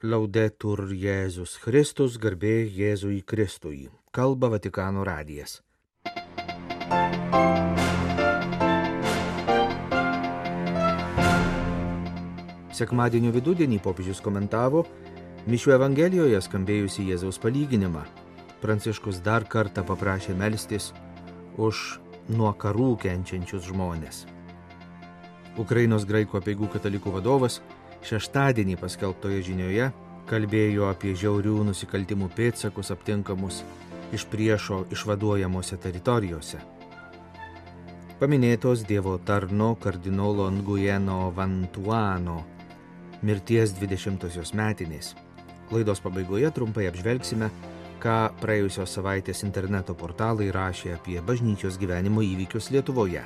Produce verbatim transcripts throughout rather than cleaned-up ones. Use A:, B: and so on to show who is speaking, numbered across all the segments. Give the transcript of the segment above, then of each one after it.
A: Laudetur Jėzus Kristus, garbė Jėzui Kristui. Kalba Vatikano radijas. Sekmadienio vidudienį popiežius komentavo mišių Evangelijoje skambėjusi Jėzaus palyginimą. Pranciškus dar kartą paprašė melstis už nuo karų kenčiančius žmones. Ukrainos graikų apeigų katalikų vadovas šeštadienį paskelbtoje žinioje kalbėjo apie žiaurių nusikaltimų pėdsakus aptinkamus iš priešo išvaduojamose teritorijose. Paminėtos Dievo tarno kardinolo Nguyeno Vantuano mirties dvidešimtosios metinės. Laidos pabaigoje trumpai apžvelgsime, ką praėjusios savaitės interneto portalai rašė apie bažnyčios gyvenimo įvykius Lietuvoje.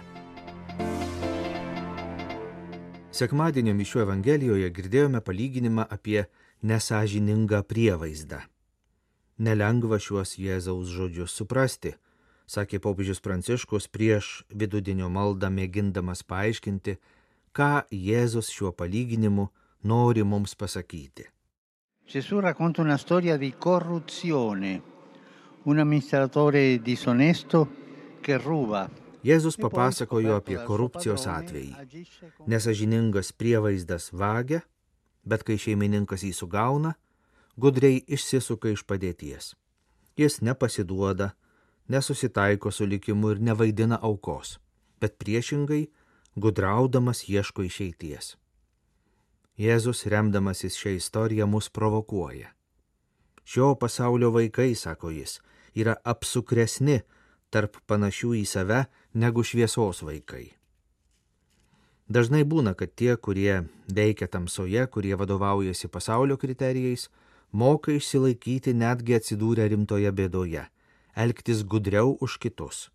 A: Sekmadienio mišių Evangelijoje girdėjome palyginimą apie nesąžiningą prievaizdą. Nelengva šiuos Jėzaus žodžius suprasti, sakė popiežius Pranciškus prieš vidudienio maldą mėgindamas paaiškinti, ką Jėzus šiuo palyginimu nori mums pasakyti.
B: Gesù racconta una storia di corruzione, un amministratore disonesto che ruba.
A: Jėzus papasakojo apie korupcijos atvejį. Nesąžiningas prievaizdas vagia, bet kai šeimininkas jį sugauna, gudriai išsisuka iš padėties. Jis nepasiduoda, nesusitaiko su likimu ir nevaidina aukos, bet priešingai, gudraudamas ieško išeities. Jėzus, remdamasis šią istoriją, mus provokuoja. Šio pasaulio vaikai, sako jis, yra apsukresni tarp panašių į save negu šviesos vaikai. Dažnai būna, kad tie, kurie veikia tamsoje, kurie vadovaujasi pasaulio kriterijais, moka išsilaikyti netgi atsidūrę rimtoje bėdoje, elgtis gudriau už kitus.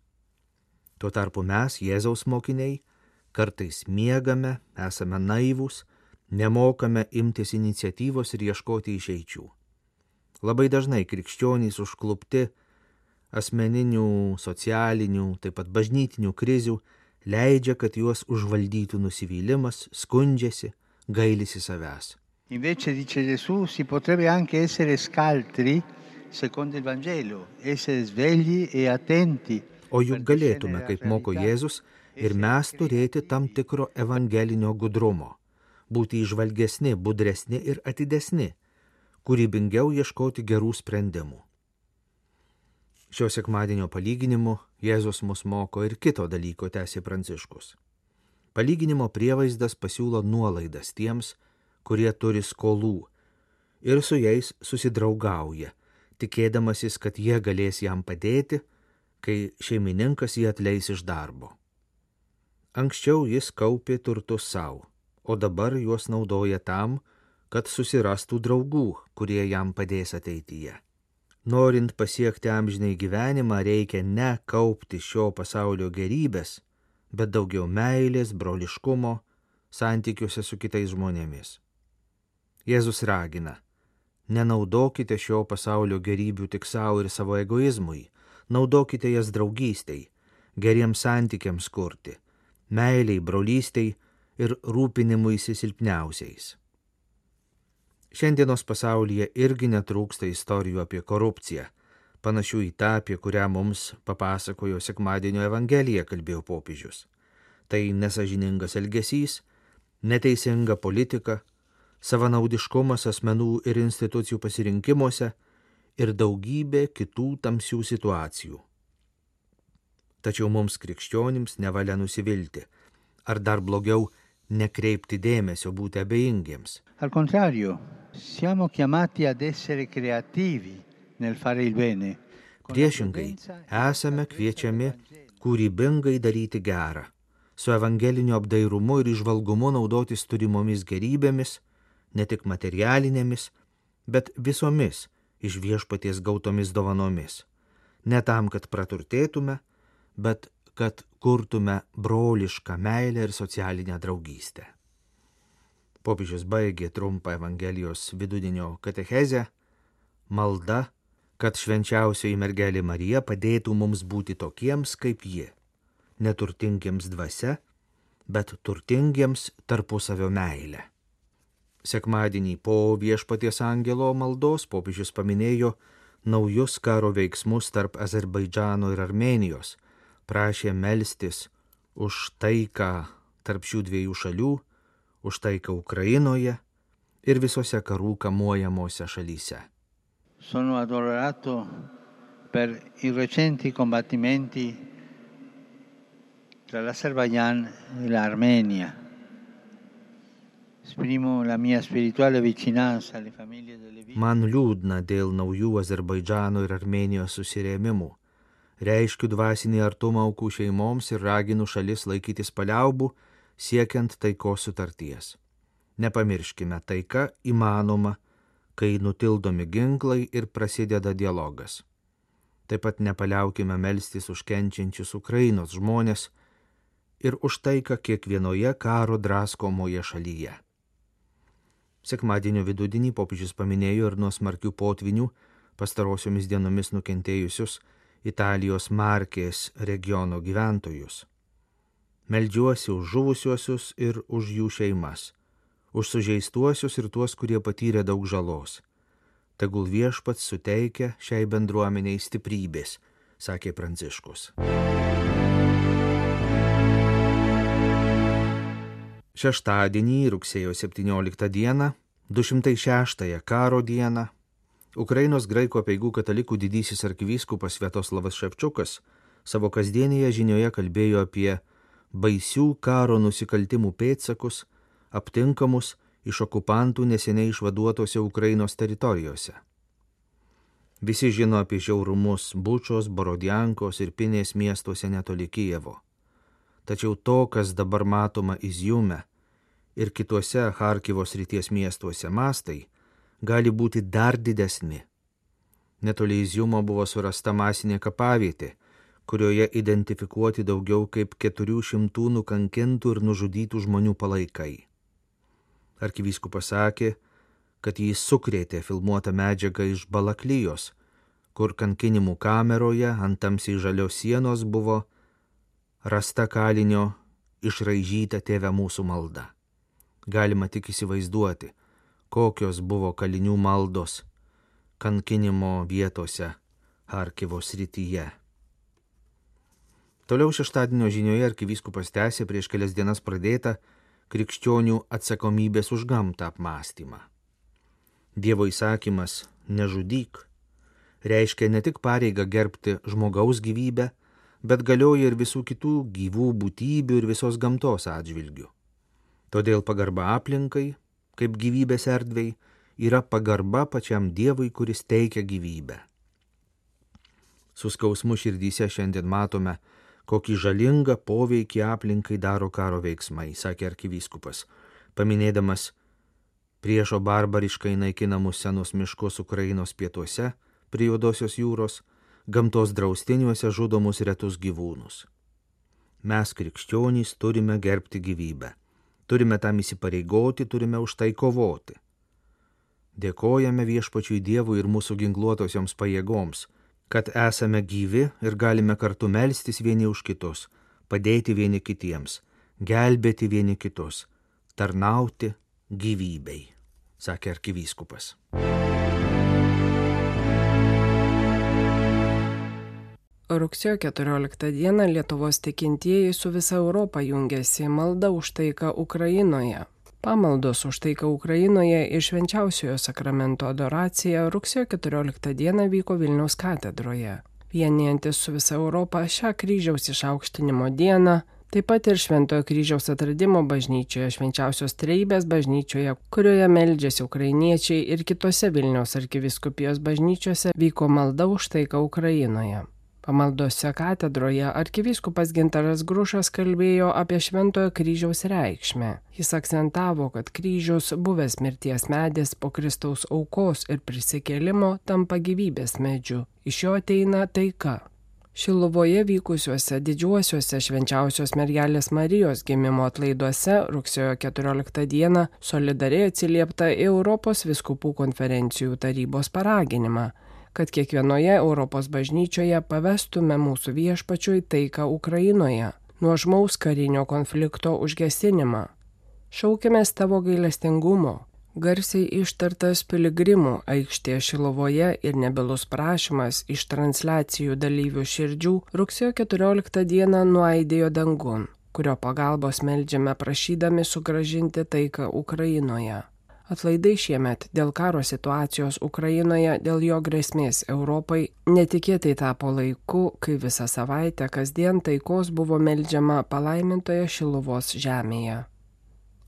A: Tuo tarpu mes, Jėzaus mokiniai, kartais miegame, esame naivūs, nemokame imtis iniciatyvos ir ieškoti išeičių. Labai dažnai krikščionys užklupti asmeninių, socialinių, taip pat bažnytinių krizių leidžia, kad juos užvaldytų nusivylimas, skundžiasi, gailisi savęs.
B: Invece, dice Gesù, si potrebbe anche essere scaltri secondo il Vangelo, essere svegli e attenti.
A: O juk galėtume, kaip moko Jėzus, ir mes turėti tam tikro evangelinio gudrumo, būti įžvalgesni, budresni ir atidesni, kūrybingiau ieškoti gerų sprendimų. Šio sekmadienio palyginimu Jėzus mus moko ir kito dalyko, tęsė Pranciškus. Palyginimo prievaizdas pasiūlo nuolaidas tiems, kurie turi skolų, ir su jais susidraugauja, tikėdamasis, kad jie galės jam padėti, kai šeimininkas jį atleis iš darbo. Anksčiau jis kaupė turtus savo, o dabar juos naudoja tam, kad susirastų draugų, kurie jam padės ateityje. Norint pasiekti amžinai gyvenimą, reikia ne kaupti šio pasaulio gerybės, bet daugiau meilės, broliškumo, santykiuose su kitais žmonėmis. Jėzus ragina, nenaudokite šio pasaulio gerybių tik savo ir savo egoizmui, naudokite jas draugystei, geriems santykiams kurti, meiliai, brolystei ir rūpinimuisi silpniausiais. Šiandienos pasaulyje irgi netrūksta istorijų apie korupciją, panašių į tą, apie kurią mums papasakojo sekmadienio Evangelija, kalbėjo popiežius. Tai nesąžiningas elgesys, neteisinga politika, savanaudiškumas asmenų ir institucijų pasirinkimuose ir daugybė kitų tamsių situacijų. Tačiau mums krikščionims nevalia nusivilti, ar dar blogiau nekreipti dėmesio, būti abejingiems.
B: Al contrario, siamo chiamati ad essere creativi nel fare il bene.
A: Priešingai, esame kviečiami kūrybingai daryti gerą, su evangeliniu apdairumu ir įžvalgumu naudotis turimomis gerybėmis, ne tik materialinėmis, bet visomis iš viešpaties gautomis dovanomis. Ne tam, kad praturtėtume, bet kad kurtume brolišką meilę ir socialinę draugystę. Popiežius baigė trumpą Evangelijos vidudienio katechezę, malda, kad švenčiausioji mergelė Marija padėtų mums būti tokiems kaip ji, neturtingiems dvasia, bet turtingiems tarpusavio meilę. Sekmadienį po Viešpaties angelo maldos popiežius paminėjo naujus karo veiksmus tarp Azerbaidžano ir Armėnijos, prašė melstis už taiką tarp šių dviejų šalių, už taiką Ukrainoje ir visose karų kamuojamose šalyse.
B: Sono addolorato per i recenti combattimenti tra l'Azerbaijan e l'Armenia. Esprimo la mia spirituale vicinanza alle famiglie delle vittime.
A: Man liūdna dėl naujų Azerbaidžano ir Armėnijos susirėmimų. Reiškiu dvasinį artumą aukų šeimoms ir raginu šalis laikytis paliaubų, siekiant taikos sutarties. Nepamirškime, taika įmanoma, kai nutildomi ginklai ir prasideda dialogas. Taip pat nepaliaukime melstis už kenčiančius Ukrainos žmonės ir už taiką kiekvienoje karo draskomoje šalyje. Sekmadienio vidudienį popiežius paminėjo ir nuo smarkių potvinių pastarosiomis dienomis nukentėjusius Italijos Markės regiono gyventojus. Meldžiuosi už žuvusiuosius ir už jų šeimas, už sužeistuosius ir tuos, kurie patyrė daug žalos. Tegul Viešpats suteikia šiai bendruomeniai stiprybės, sakė Pranciškus. Šeštadienį, rugsėjo septynioliktą dieną, du šimtai šeštąją karo dieną, Ukrainos graikų apeigų katalikų didysis arkivyskupas Sviatoslavas Ševčiukas savo kasdienėje žinioje kalbėjo apie baisių karo nusikaltimų pėdsakus, aptinkamus iš okupantų neseniai išvaduotose Ukrainos teritorijose. Visi žino apie žiaurumus Bučos, Borodiankos ir Pinės miestuose netoli Kijevo. Tačiau to, kas dabar matoma Izjume ir kituose Charkivo srities miestuose mastai, gali būti dar didesni. Netoli Izjumo buvo surasta masinė kapavietė, kurioje identifikuoti daugiau kaip keturių šimtų nukankintų ir nužudytų žmonių palaikai. Arkivyskupas sakė, kad jis sukrėtė filmuotą medžiagą iš Balaklijos, kur kankinimų kameroje ant tamsiai žalios sienos buvo rasta kalinio išraižyta Tėve mūsų malda. Galima tik įsivaizduoti, kokios buvo kalinių maldos kankinimo vietose Charkivo srityje. Toliau šeštadienio žinioje arkivyskupas tęsė prieš kelias dienas pradėtą krikščionių atsakomybės už gamtą apmąstymą. Dievo įsakymas nežudyk reiškia ne tik pareigą gerbti žmogaus gyvybę, bet galioja ir visų kitų gyvų būtybių ir visos gamtos atžvilgių. Todėl pagarba aplinkai, kaip gyvybės erdvei, yra pagarba pačiam Dievui, kuris teikia gyvybę. Su skausmu širdyse šiandien matome, kokį žalingą poveikį aplinkai daro karo veiksmai, sakė arkivyskupas, paminėdamas priešo barbariškai naikinamus senus miškus Ukrainos pietuose, prie Juodosios jūros, gamtos draustiniuose žudomus retus gyvūnus. Mes, krikščionys, turime gerbti gyvybę. Turime tam įsipareigoti, turime už tai kovoti. Dėkojame Viešpačiui Dievui ir mūsų ginkluotosioms pajėgoms, kad esame gyvi ir galime kartu melstis vieni už kitus, padėti vieni kitiems, gelbėti vieni kitus, tarnauti gyvybei, sakė arkivyskupas.
C: Rugsėjo keturioliktą dieną Lietuvos tikintieji su visa Europa jungiasi į maldą už taiką Ukrainoje. Pamaldos už taiką Ukrainoje ir švenčiausiojo sakramento adoracija rugsėjo keturioliktą dieną vyko Vilniaus katedroje. Vienijantis su visa Europa šią kryžiaus išaukštinimo dieną, taip pat ir Šventojo kryžiaus atradimo bažnyčioje, Švenčiausios Trejybės bažnyčioje, kurioje meldžiasi ukrainiečiai, ir kitose Vilniaus arkivyskupijos bažnyčiose vyko malda už taiką Ukrainoje. Pamaldose katedroje arkivyskupas Gintaras Grušas kalbėjo apie Šventojo kryžiaus reikšmę. Jis akcentavo, kad kryžius, buvęs mirties medis po Kristaus aukos ir prisikėlimo, tampa gyvybės medžiu. Iš jo ateina taika. Šiluvoje vykusiuose didžiuosiuose Švenčiausios Mergelės Marijos gimimo atlaiduose rugsėjo keturioliktą dieną solidariai atsiliepta į Europos vyskupų konferencijų tarybos paraginimą, kad kiekvienoje Europos bažnyčioje pavestume mūsų Viešpačiui taiką Ukrainoje, nuožmaus karinio konflikto užgesinimą. Šaukimės tavo gailestingumo, Garsiai ištartas piligrimų aikštėje Šiluvoje ir nebylus prašymas iš transliacijų dalyvių širdžių rugsėjo keturioliktą dieną nuaidėjo dangun, kurio pagalbos meldžiame prašydami sugrąžinti taiką Ukrainoje. Atlaidai šiemet dėl karo situacijos Ukrainoje, dėl jo grėsmės Europai, netikėtai tapo laiku, kai visą savaitę kasdien taikos buvo meldžiama palaimintoje Šiluvos žemėje.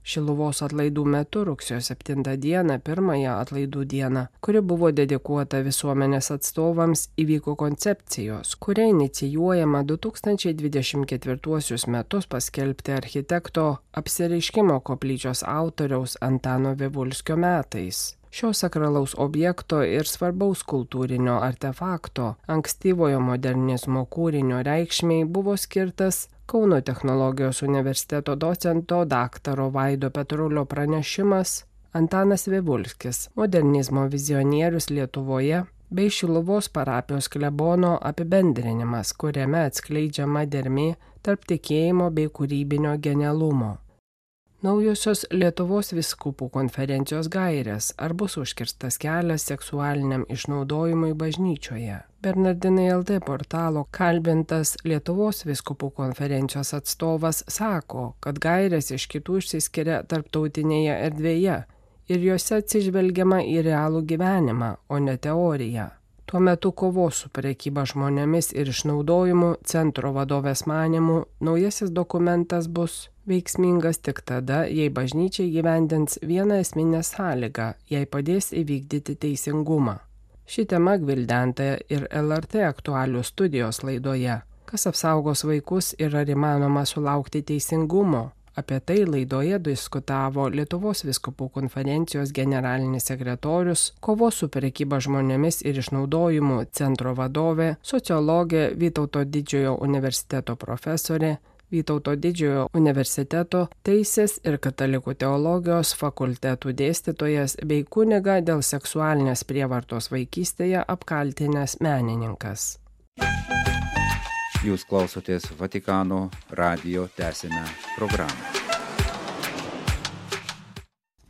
C: Šiluvos atlaidų metu rugsėjo septintą dieną, pirmąją atlaidų dieną, kuri buvo dedikuota visuomenės atstovams, įvyko koncepcijos, kuria inicijuojama du tūkstančiai dvidešimt ketvirtuosius metus paskelbti architekto apsireiškimo koplyčios autoriaus Antano Vivulskio metais. Šio sakralaus objekto ir svarbaus kultūrinio artefakto, ankstyvojo modernizmo kūrinio reikšmei buvo skirtas Kauno technologijos universiteto docento daktaro Vaido Petrulio pranešimas Antanas Vivulskis, modernizmo vizionierius Lietuvoje, bei Šiluvos parapijos klebono apibendrinimas, kuriame atskleidžiama dermė tarp tikėjimo bei kūrybinio genialumo. Naujosios Lietuvos vyskupų konferencijos gairės, ar bus užkirstas kelias seksualiniam išnaudojimui bažnyčioje. Bernardinai L T portalo kalbintas Lietuvos vyskupų konferencijos atstovas sako, kad gairės iš kitų išsiskiria tarptautinėje erdvėje ir juose atsižvelgiama į realų gyvenimą, o ne teoriją. Tuo metu kovos su prekyba žmonėmis ir išnaudojimu centro vadovės manymu naujasis dokumentas bus veiksmingas tik tada, jei bažnyčia įgyvendins vieną esminę sąlygą, jei padės įvykdyti teisingumą. Ši tema gvildenta ir L R T aktualių studijos laidoje. Kas apsaugos vaikus ir ar įmanoma sulaukti teisingumo? Apie tai laidoje diskutavo Lietuvos vyskupų konferencijos generalinis sekretorius, kovos su prekyba žmonėmis ir išnaudojimu centro vadovė, sociologė Vytauto Didžiojo universiteto profesorė, Vytauto Didžiojo universiteto teisės ir katalikų teologijos fakultetų dėstytojas bei kuniga dėl seksualinės prievartos vaikystėje apkaltinęs menininkas.
D: Jūs klausotės Vatikano radijo tęsinę programą.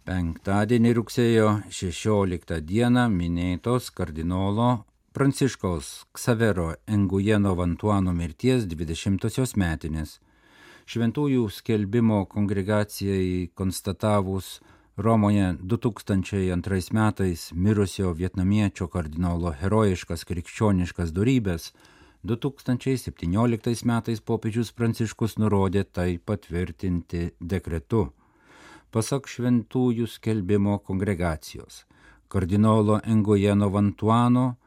D: Penktadienį rugsėjo šešioliktą dieną minėtos kardinolo Pranciškaus Ksavero Engujeno Vantuano mirties dvidešimtosios metinės. Šventųjų skelbimo kongregacijai konstatavus Romoje du tūkstančiai antrais metais mirusio vietnamiečio kardinolo herojiškas krikščioniškas dorybės, du tūkstančiai septynioliktais metais popiežius Pranciškus nurodė tai patvirtinti dekretu. Pasak šventųjų skelbimo kongregacijos, kardinolo Engujeno Vantuano,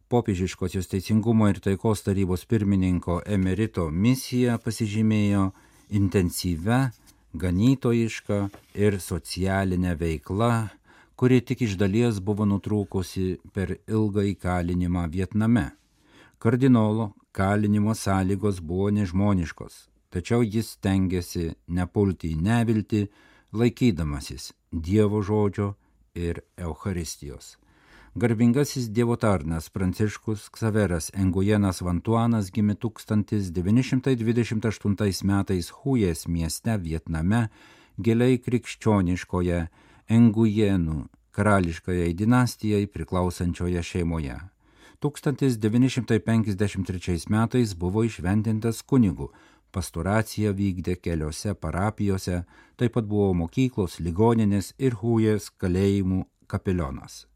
D: popiežiškosios teisingumo ir taikos tarybos pirmininko emerito misija pasižymėjo intensyvia, ganytojiška ir socialinė veikla, kuri tik iš dalies buvo nutrūkusi per ilgą įkalinimą Vietname. Kardinolo kalinimo sąlygos buvo nežmoniškos, tačiau jis stengėsi nepulti į neviltį, laikydamasis Dievo žodžio ir Eucharistijos. Garbingasis Dievo tarnas Pranciškus Ksaveras Engujenas Vantuanas gimė tūkstantis devyni šimtai dvidešimt aštuntais metais Hujės mieste Vietname, giliai krikščioniškoje Engujenų karališkajai dinastijai priklausančioje šeimoje. tūkstantis devyni šimtai penkiasdešimt trečiais metais buvo įšventintas kunigu, pastoraciją vykdė keliose parapijose, taip pat buvo mokyklos, ligoninės ir Hujės kalėjimų kapelionas.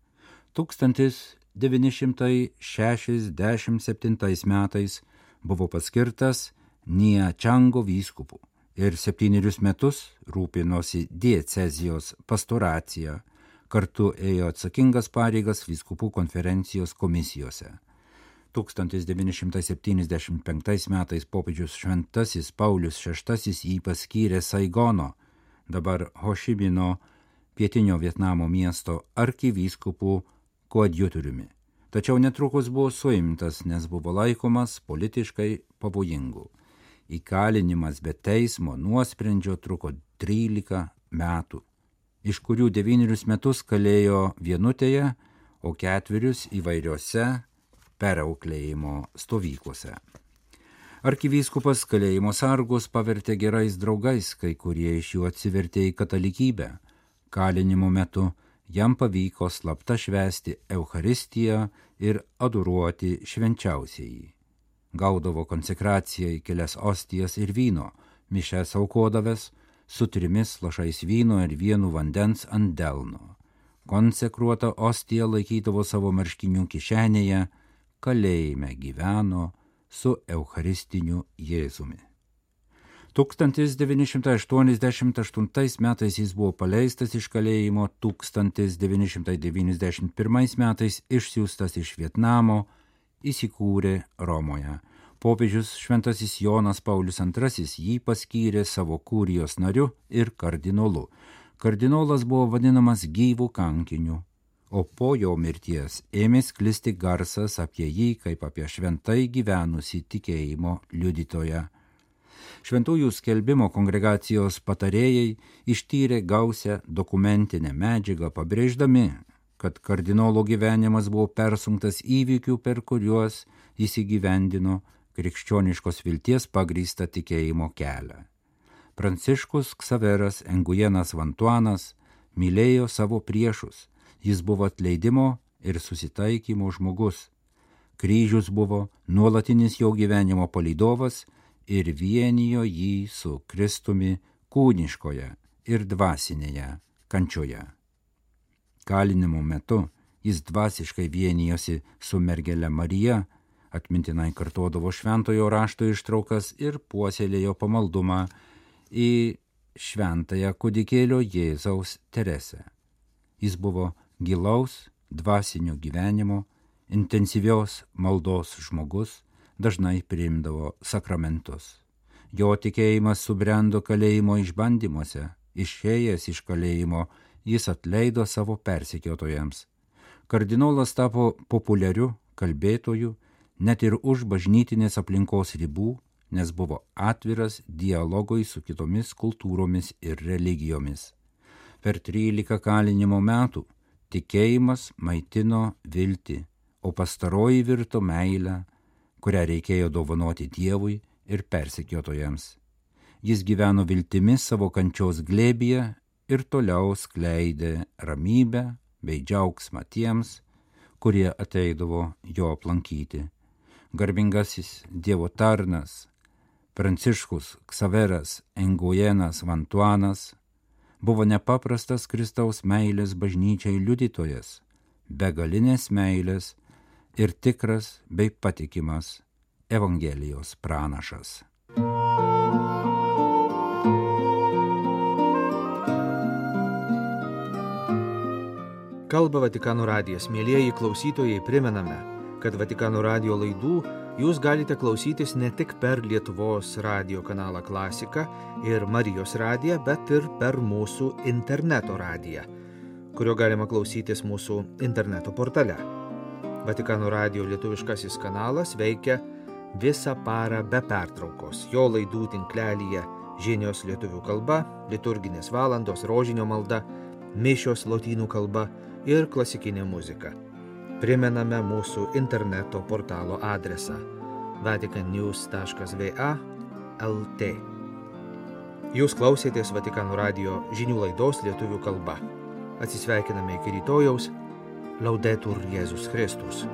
D: tūkstantis devyni šimtai šešiasdešimt septintais metais buvo paskirtas Nia Čango vyskupu ir septynerius metus rūpinosi diecezijos pastoracija, kartu ėjo atsakingas pareigas vyskupų konferencijos komisijose. tūkstantis devyni šimtai septyniasdešimt penktais metais popiežius Šventasis Paulius šeštasis jį paskyrė Saigono, dabar Hošimino, pietinio Vietnamo miesto arkivyskupų koadjutoriumi. Tačiau netrukus buvo suimtas, nes buvo laikomas politiškai pavojingu. Įkalinimas be teismo nuosprendžio truko trylika metų, iš kurių devynerius metus kalėjo vienutėje, o ketverius įvairiose perauklėjimo stovyklose. Arkivyskupas kalėjimo sargus pavertė gerais draugais, kai kurie iš jų atsivertė į katalikybę. Kalinimo metu jam pavyko slapta švęsti Eucharistiją ir adoruoti švenčiausiąjį. Gaudavo konsekraciją į kelias ostijas ir vyno, mišes aukodavęs su trimis lašais vyno ir vienu vandens ant delno. Konsekruotą ostiją laikydavo savo marškinių kišenėje, kalėjime gyveno su Eucharistiniu Jėzumi. tūkstantis devyni šimtai aštuoniasdešimt aštuntais metais jis buvo paleistas iš kalėjimo, tūkstantis devyni šimtai devyniasdešimt pirmais metais išsiųstas iš Vietnamo, įsikūrė Romoje. Popiežius šventasis Jonas Paulius antrasis jį paskyrė savo kurijos nariu ir kardinolu. Kardinolas buvo vadinamas gyvų kankiniu, o po jo mirties ėmė sklisti garsas apie jį kaip apie šventai gyvenusį tikėjimo liudytoją. Šventųjų skelbimo kongregacijos patarėjai ištyrė gausią dokumentinę medžiagą, pabrėždami, kad kardinolo gyvenimas buvo persunktas įvykių, per kuriuos jis įgyvendino krikščioniškos vilties pagrįstą tikėjimo kelią. Pranciškus Ksaveras Engujenas Vantuanas mylėjo savo priešus, jis buvo atleidimo ir susitaikymo žmogus. Kryžius buvo nuolatinis jo gyvenimo palydovas ir vienijo jį su Kristumi kūniškoje ir dvasinėje kančioje. Kalinimo metu jis dvasiškai vienijosi su mergele Marija, atmintinai kartodavo šventojo rašto ištraukas ir puoselėjo pamaldumą į šventąją kūdikėlio Jėzaus Teresę. Jis buvo gilaus dvasinio gyvenimo, intensyvios maldos žmogus, dažnai priimdavo sakramentus. Jo tikėjimas subrendo kalėjimo išbandymuose, išėjęs iš kalėjimo, jis atleido savo persekiotojams. Kardinolas tapo populiariu kalbėtoju net ir už bažnytinės aplinkos ribų, nes buvo atviras dialogui su kitomis kultūromis ir religijomis. Per trylika kalinimo metų tikėjimas maitino viltį, o pastaroji virto meilę, kurią reikėjo dovanoti Dievui ir persekiotojams. Jis gyveno viltimis savo kančios glėbyje ir toliau skleidė ramybę bei džiaugsmą tiems, kurie ateidavo jo aplankyti. Garbingasis Dievo tarnas Pranciškus Ksaveras Engujenas Vantuanas buvo nepaprastas Kristaus meilės bažnyčiai liudytojas, begalinės meilės ir tikras bei patikimas Evangelijos pranašas.
A: Kalba Vatikano radijas. Mielieji klausytojai, primename, kad Vatikano radijo laidų jūs galite klausytis ne tik per Lietuvos radijo kanalą Klasika ir Marijos radiją, bet ir per mūsų interneto radiją, kurio galima klausytis mūsų interneto portale. Vatikano radijo lietuviškasis kanalas veikia visą parą be pertraukos. Jo laidų tinklelyje žinios lietuvių kalba, liturginės valandos, rožinio malda, mišios lotynų kalba ir klasikinė muzika. Primename mūsų interneto portalo adresą vatican news taškas v a taškas l t. Jūs klausėtės Vatikano radijo žinių laidos lietuvių kalba. Atsisveikiname iki rytojaus. Laudetur Jėzus Kristus.